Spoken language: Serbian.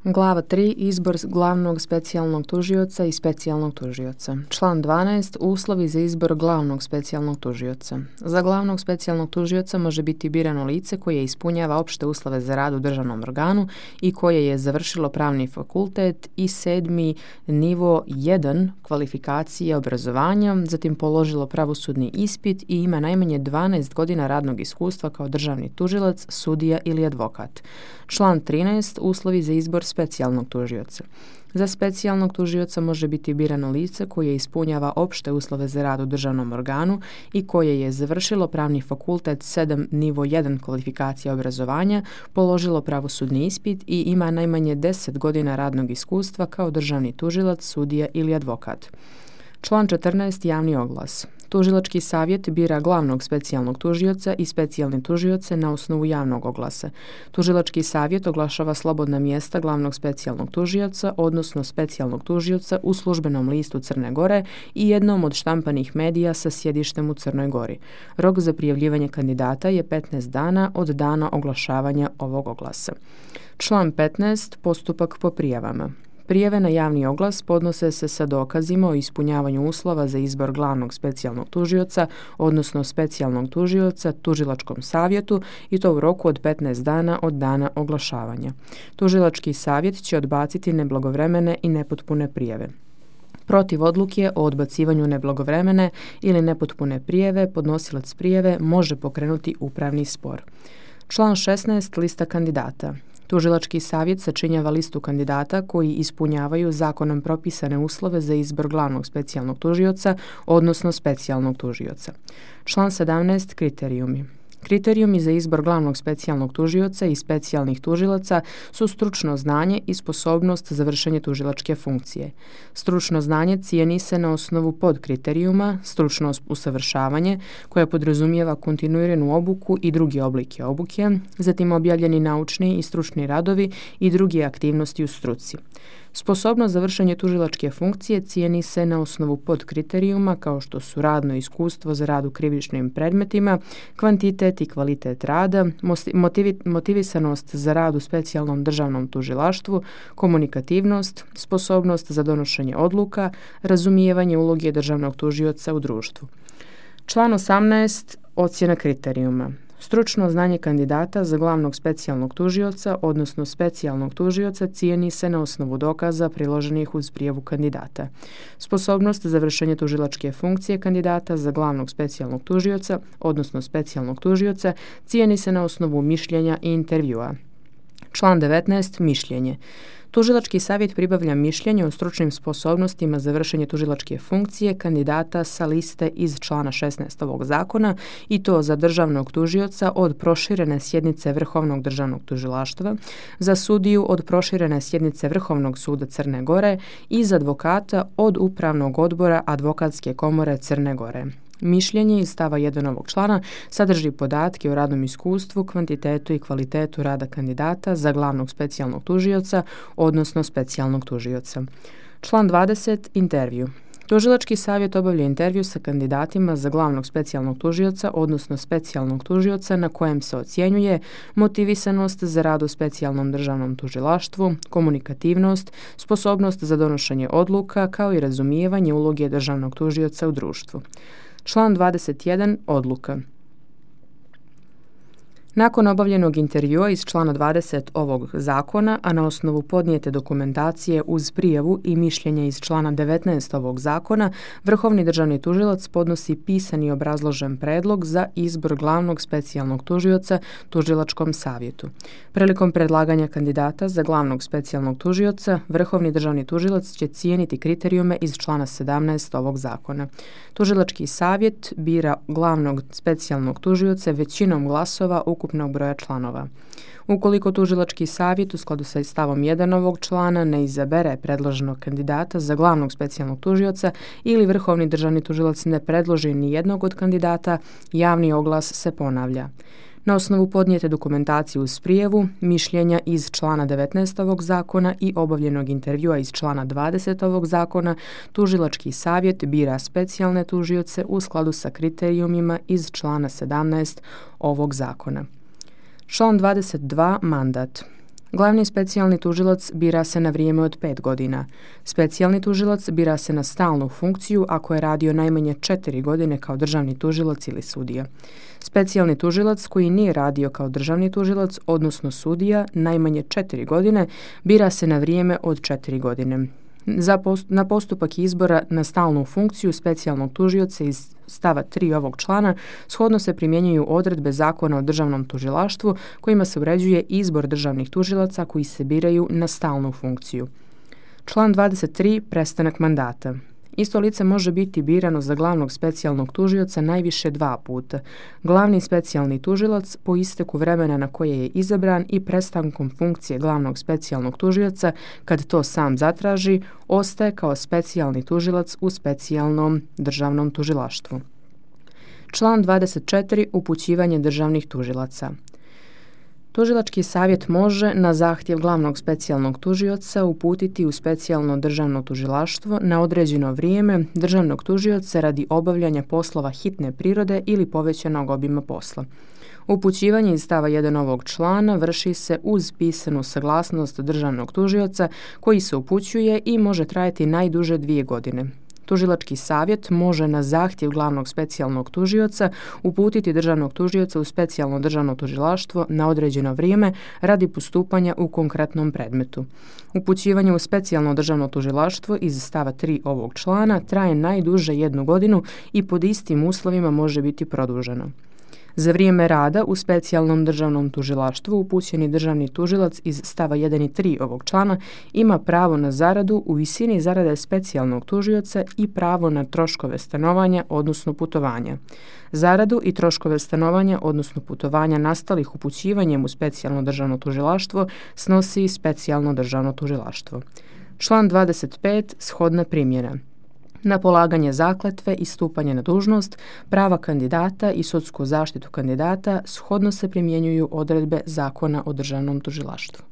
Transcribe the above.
Glava 3. Izbor glavnog specijalnog tužioca i specijalnog tužioca. Član 12. Uslovi za izbor glavnog specijalnog tužioca. Za glavnog specijalnog tužioca može biti birano lice koje ispunjava opšte uslove za rad u državnom organu i koje je završilo pravni fakultet i 7. nivo 1 kvalifikacije obrazovanja, zatim položilo pravosudni ispit i ima najmanje 12 godina radnog iskustva kao državni tužilac, sudija ili advokat. Član 13. Uslovi za izbor specijalnog tužioca. Za specijalnog tužioca može biti birano lice koje ispunjava opšte uslove za rad u državnom organu i koje je završilo pravni fakultet 7. nivo 1 kvalifikacije obrazovanja, položilo pravosudni ispit i ima najmanje 10 godina radnog iskustva kao državni tužilac, sudija ili advokat. Član 14. Javni oglas. Tužilački savjet bira glavnog specijalnog tužioca i specijalne tužioce na osnovu javnog oglasa. Tužilački savjet oglašava slobodna mjesta glavnog specijalnog tužioca, odnosno specijalnog tužioca u službenom listu Crne Gore i jednom od štampanih medija sa sjedištem u Crnoj Gori. Rok za prijavljivanje kandidata je 15 dana od dana oglašavanja ovog oglasa. Član 15. Postupak po prijavama. Prijave na javni oglas podnose se sa dokazima o ispunjavanju uslova za izbor glavnog specijalnog tužioca, odnosno specijalnog tužioca, tužilačkom savjetu i to u roku od 15 dana od dana oglašavanja. Tužilački savjet će odbaciti neblagovremene i nepotpune prijave. Protiv odluke o odbacivanju neblagovremene ili nepotpune prijave podnosilac prijave može pokrenuti upravni spor. Član 16. Lista kandidata. Tužilački savjet sačinjava listu kandidata koji ispunjavaju zakonom propisane uslove za izbor glavnog specijalnog tužioca, odnosno specijalnog tužioca. Član 17. Kriterijumi. Kriterijumi za izbor glavnog specijalnog tužioca i specijalnih tužilaca su stručno znanje i sposobnost za vršenje tužilačke funkcije. Stručno znanje cijeni se na osnovu podkriterijuma, stručno usavršavanje koje podrazumijeva kontinuiranu obuku i druge oblike obuke, zatim objavljeni naučni i stručni radovi i druge aktivnosti u struci. Sposobnost za vršenje tužilačke funkcije cijeni se na osnovu podkriterijuma kao što su radno iskustvo za rad u krivičnim predmetima, kvantitet i kvalitet rada, motivisanost za rad u specijalnom državnom tužilaštvu, komunikativnost, sposobnost za donošenje odluka, razumijevanje uloge državnog tužioca u društvu. Član 18. Ocjena kriterijuma. Stručno znanje kandidata za glavnog specijalnog tužioca, odnosno specijalnog tužioca, cijeni se na osnovu dokaza priloženih uz prijavu kandidata. Sposobnost za vršenje tužilačke funkcije kandidata za glavnog specijalnog tužioca, odnosno specijalnog tužioca, cijeni se na osnovu mišljenja i intervjua. Član 19. Mišljenje. Tužilački savjet pribavlja mišljenje o stručnim sposobnostima za vršenje tužilačke funkcije kandidata sa liste iz člana 16 ovog zakona i to za državnog tužioca od proširene sjednice Vrhovnog državnog tužilaštva, za sudiju od proširene sjednice Vrhovnog suda Crne Gore i za advokata od Upravnog odbora Advokatske komore Crne Gore. Mišljenje iz stava 1 ovog člana sadrži podatke o radnom iskustvu, kvantitetu i kvalitetu rada kandidata za glavnog specijalnog tužioca, odnosno specijalnog tužioca. Član 20. Intervju. Tužilački savjet obavlja intervju sa kandidatima za glavnog specijalnog tužioca, odnosno specijalnog tužioca na kojem se ocjenjuje motivisanost za rad u specijalnom državnom tužilaštvu, komunikativnost, sposobnost za donošenje odluka kao i razumijevanje uloge državnog tužioca u društvu. Član 21. Odluka. Nakon obavljenog intervjua iz člana 20 ovog zakona, a na osnovu podnijete dokumentacije uz prijavu i mišljenje iz člana 19 ovog zakona, Vrhovni državni tužilac podnosi pisani obrazložen predlog za izbor glavnog specijalnog tužioca tužilačkom savjetu. Prilikom predlaganja kandidata za glavnog specijalnog tužioca, Vrhovni državni tužilac će cijeniti kriterijume iz člana 17 ovog zakona. Tužilački savjet bira glavnog specijalnog tužioca većinom glasova ukupnog broja članova. Ukoliko tužilački savjet u skladu sa stavom 1 ovog člana ne izabere predloženog kandidata za glavnog specijalnog tužioca ili Vrhovni državni tužilac ne predloži ni jednog od kandidata, javni oglas se ponavlja. Na osnovu podnijete dokumentacije uz prijavu, mišljenja iz člana 19 ovog zakona i obavljenog intervjua iz člana 20 ovog zakona, tužilački savjet bira specijalne tužioce u skladu sa kriterijumima iz člana 17 ovog zakona. Član 22. Mandat. Glavni specijalni tužilac bira se na vrijeme od 5 godina. Specijalni tužilac bira se na stalnu funkciju ako je radio najmanje 4 godine kao državni tužilac ili sudija. Specijalni tužilac koji nije radio kao državni tužilac, odnosno sudija, najmanje 4 godine, bira se na vrijeme od 4 godine. Na postupak izbora na stalnu funkciju specijalnog tužioca iz stava 3 ovog člana shodno se primjenjuju odredbe Zakona o državnom tužilaštvu kojima se uređuje izbor državnih tužilaca koji se biraju na stalnu funkciju. Član 23. Prestanak mandata. Isto lice može biti birano za glavnog specijalnog tužioca najviše 2 puta. Glavni specijalni tužilac po isteku vremena na koje je izabran i prestankom funkcije glavnog specijalnog tužioca, kad to sam zatraži, ostaje kao specijalni tužilac u specijalnom državnom tužilaštvu. Član 24. Upućivanje državnih tužilaca. Tužilački savjet može na zahtjev glavnog specijalnog tužioca uputiti u specijalno državno tužilaštvo na određeno vrijeme državnog tužioca radi obavljanja poslova hitne prirode ili povećanog obima posla. Upućivanje iz stava 1 ovog člana vrši se uz pisanu saglasnost državnog tužioca koji se upućuje i može trajati najduže 2 godine. Tužilački savjet može na zahtjev glavnog specijalnog tužioca uputiti državnog tužioca u specijalno državno tužilaštvo na određeno vrijeme radi postupanja u konkretnom predmetu. Upućivanje u specijalno državno tužilaštvo iz stava 3 ovog člana traje najduže 1 godinu i pod istim uslovima može biti produženo. Za vrijeme rada u specijalnom državnom tužilaštvu upućeni državni tužilac iz stava 1 i 3 ovog člana ima pravo na zaradu u visini zarade specijalnog tužioca i pravo na troškove stanovanja, odnosno putovanja. Zaradu i troškove stanovanja, odnosno putovanja nastalih upućivanjem u specijalno državno tužilaštvo snosi specijalno državno tužilaštvo. Član 25. Shodna primjena. Na polaganje zakletve i stupanje na dužnost, prava kandidata i sudsku zaštitu kandidata shodno se primjenjuju odredbe Zakona o državnom tužilaštvu.